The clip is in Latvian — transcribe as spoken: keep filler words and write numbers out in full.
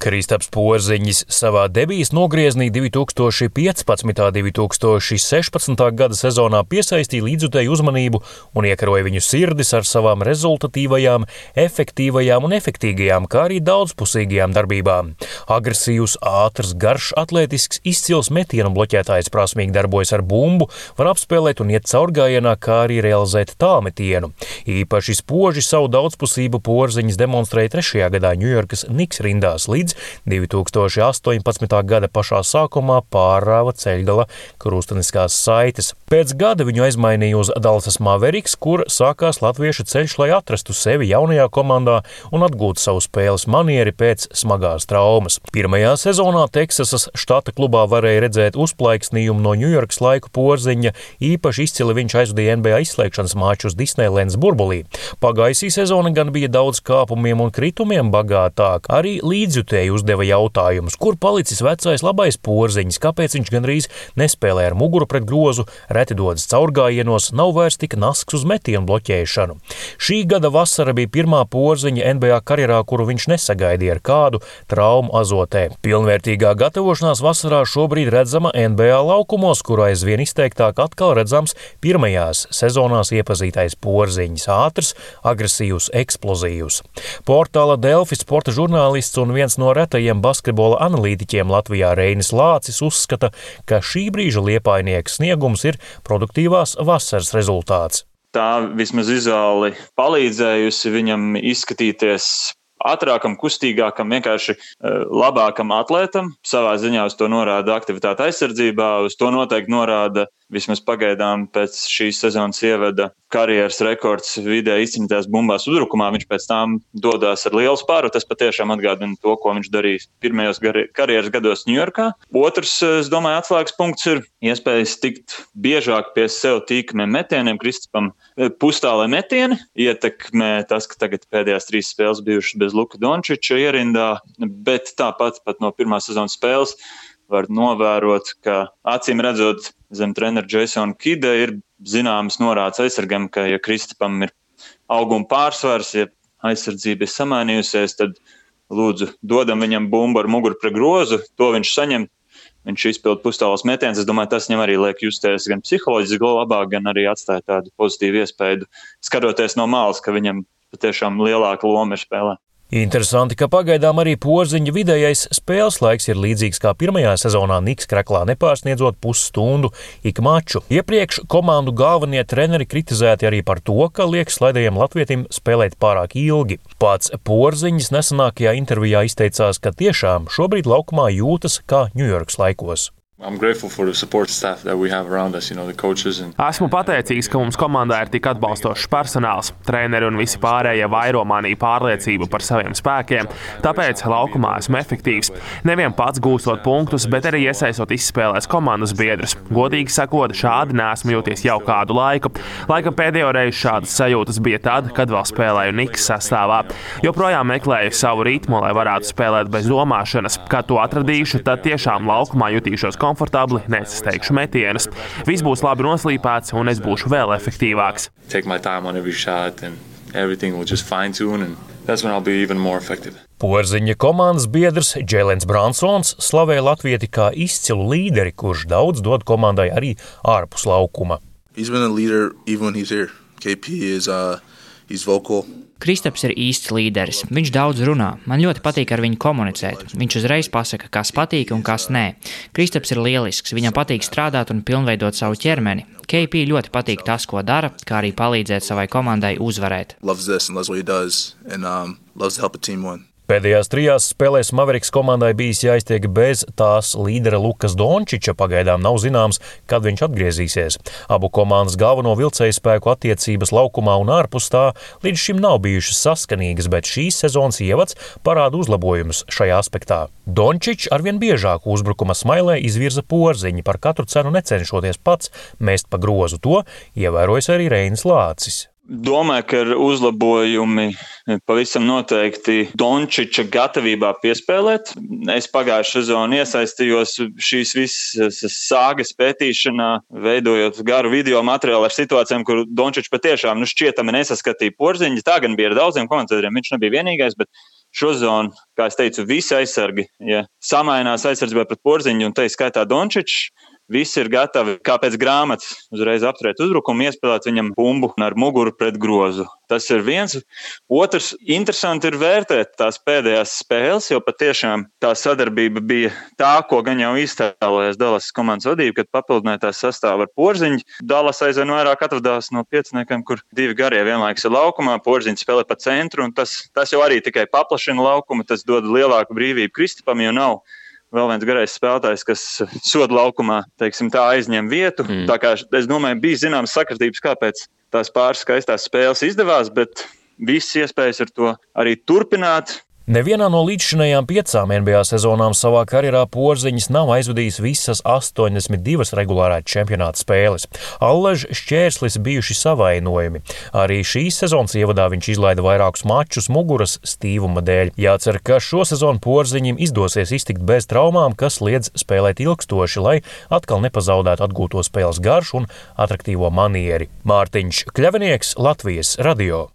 Kristaps Porziņš savā debijas nogrieznī divi tūkstoši piecpadsmitā un divi tūkstoši sešpadsmitā gada sezonā piesaistīja līdzjutēju uzmanību un iekaroja viņu sirdis ar savām rezultatīvajām, efektīvajām un efektīgajām, kā arī daudzpusīgajām darbībām. Agresīvs, ātrs, garš, atletisks, izcils metienu bloķētājs prasmīgi darbojas ar bumbu, var apspēlēt un iet caurgājienā, kā arī realizēt tālmetienu. Īpaši spoži savu daudzpusību Porziņš demonstrēja trešajā gadā Ņujorkas Knicks rindās līdz divi tūkstoši astoņpadsmitā gada pašā sākumā pārrāva ceļgala krusteniskās saites. Pēc gada viņu aizmainīja uz Dallasas Mavericks, kur sākās latviešu ceļš, lai atrastu sevi jaunajā komandā un atgūtu savu spēles manieri pēc smagās traumas. Pirmajā sezonā Teksasas štata klubā varēja redzēt uzplaiksnījumu no Ņujorkas laiku Porziņa, īpaši izcili viņš aizvadīja N B A izslēgšanas mačus Disneylands burbulī. Pagājusī sezona gan bija daudz kāpumiem un kritumiem bagātāk, arī līdzjutēji uzdeva jautājumus, kur palicis vecais labais Porziņš, kāpēc viņš gandrīz nespēlē ar muguru pret grozu, reti dodas caurgājienos, nav vairs tik nasks uz metienu bloķēšanu. Šī gada vasara bija pirmā Porziņa N B A karjerā, kuru viņš nesagaidīja ar kādu traumu azotē. Pilnvērtīgā gatavošanās vasarā šobrīd redzama N B A laukumos, kur aizvien izteiktāk atkal redzams pirmajās sezonās iepazītais Porziņš, ātrs, agresīvs, eksplozīvs. Portāla Delfi sporta žurnālists un viens no retajiem basketbola analītiķiem Latvijā Reinis Lācis uzskata, ka šī brīža Liepainieka sniegums ir produktīvās vasaras rezultāts. Tā vismaz vizuāli palīdzējusi viņam izskatīties ātrākam, kustīgākam, vienkārši labākam atlētam. Savā ziņā uz to norāda aktivitāte aizsardzībā, uz to noteikti norāda vismaz pagaidām pēc šīs sezonas ievada karjeras rekords vidē izcīnītās bumbās uzbrukumā. Viņš pēc tām dodās ar lielu spāru. Tas patiešām atgādina to, ko viņš darīs pirmajos karjeras gados Ņujorkā. Otrs, es domāju, atslēgas punkts ir iespējas tikt biežāk pie sev tīkamiem metieniem. Kristapam pustālē metieni ietekmē tas, ka tagad pēdējās trīs spēles bijušas bez Luka Dončiča ierindā, bet tāpat pat no pirmās sezonas spēles var novērot, ka acīm redzot zem trenera Jasona Kida ir zināmas norādes aizsargam, ka ja Kristapam ir auguma pārsvars, ja aizsardzība ir samainījusies, tad lūdzu dodam viņam bumbu ar muguru pret grozu, to viņš saņem, viņš izpild pustālos metiens. Es domāju, tas viņam arī liek justies gan psiholoģiski labāk, gan arī atstāja tādu pozitīvu iespēju, skatoties no malas, ka viņam patiešām lielāka loma ir spēlē. Interesanti, ka pagaidām arī Porziņa vidējais spēles laiks ir līdzīgs kā pirmajā sezonā Knicks kreklā, nepārsniedzot pusstundu ik maču. Iepriekš komandu galvenie treneri kritizēti arī par to, ka liek slaidajam latvietim spēlēt pārāk ilgi. Pats Porziņš nesenākajā intervijā izteicās, ka tiešām šobrīd laukumā jūtas kā Ņujorkas laikos. I'm grateful for the support staff that we have around us, you know, the coaches and... Esmu pateicīgs, ka mums komandā ir tik atbalstošs personāls. Treneri un visi pārējie vairo manī pārliecību par saviem spēkiem, tāpēc laukumā esmu efektīvs. Nevien pats gūstot punktus, bet arī iesaistot izspēlēs komandas biedrus. Godīgi sakot, šādi neesmu jūties jau kādu laiku. Laikam pēdējo reizi šādas sajūtas bija tad, kad vēl spēlēju Knicks sastāvā. Joprojām meklēju savu ritmu, lai varētu spēlēt bez domāšanas. Kad to atradīšu, tad tiešām laukumā jutīšos komfortabli, nesasteigšu metienus. Viss būs labi noslīpēts un es būšu vēl efektīvāks. Take my time on every shot and everything will just fine tune and that's when I'll be even more effective. Porziņa komandas biedrs Džēlens Bransons slavēja latvieti kā izcilu līderi, kurš daudz dod komandai arī ārpus laukuma. He's been a leader even when he's here. K P is uh he's vocal. Kristaps ir īsts līderis. Viņš daudz runā. Man ļoti patīk ar viņu komunicēt. Viņš uzreiz pasaka, kas patīk un kas nē. Kristaps ir lielisks. Viņam patīk strādāt un pilnveidot savu ķermeni. K P ļoti patīk tas, ko dara, kā arī palīdzēt savai komandai uzvarēt. Loves this and loves what he does and um, loves to help a team win. Pēdējās trijās spēlēs Mavericks komandai bijis jāiztiek bez tās līdera Lukas Dončiča, pagaidām nav zināms, kad viņš atgriezīsies. Abu komandas galveno vilcēju spēku attiecības laukumā un ārpus tā līdz šim nav bijušas saskanīgas, bet šīs sezonas ievads parāda uzlabojumus šajā aspektā. Dončičs arvien biežāk uzbrukuma smailē izvirza Porziņu, par katru cenu necenšoties pats mest pa grozu. To ievērojis arī Reinis Lācis. Domāju, ka ir uzlabojumi pavisam noteikti Dončiča gatavībā piespēlēt. Es pagājušā sezonā iesaistījos šīs visas sāgas pētīšanā, veidojot garu video materiālu ar situācijām, kur Dončičs patiešām nu, šķietami nesaskatīja Porziņu. Tā gan bija ar daudziem komentētājiem, viņš nebija vienīgais, bet šo zonu, kā es teicu, visi aizsargi, ja samainās aizsardzībā pret Porziņu un te skaitā Dončičs, visi ir gatavi, kā pēc grāmatas, uzreiz apturēt uzbrukumu, iespēlēt viņam bumbu ar muguru pret grozu. Tas ir viens. Otrs, interesanti ir vērtēt tās pēdējās spēles, jo patiešām tā sadarbība bija tā, ko gan jau iztēlojās Dallas komandas vadība, kad papildināja tās sastāvu ar Porziņu. Dallas aizvien vairāk atvadās no pieciniekiem, kur divi garie vienlaikus ir laukumā, Porziņš spēlē pa centru, un tas, tas jau arī tikai paplašina laukumu, tas dod lielāku brīvību Kristapam, jo nav vēl viens garais spēlētājs, kas soda laukumā, teiksim, tā aizņem vietu. Mm. Tā kā, es domāju, bija zināmas sakritības, kāpēc tās pāris skaistās spēles izdevās, bet visas iespējas ar to arī turpināt. Nevienā no līdzšinējām piecām N B A sezonām savā karjerā Porziņš nav aizvadījis visas astoņdesmit divas regulārā čempionāta spēles. Allaž šķērslis bijuši savainojumi. Arī šīs sezonas ievadā viņš izlaida vairākus mačus muguras stīvuma dēļ. Jācer, ka šo sezonu Porziņam izdosies iztikt bez traumām, kas liedz spēlēt ilgstoši, lai atkal nepazaudētu atgūto spēles garšu un atraktīvo manieri. Mārtiņš Kļavinieks, Latvijas radio.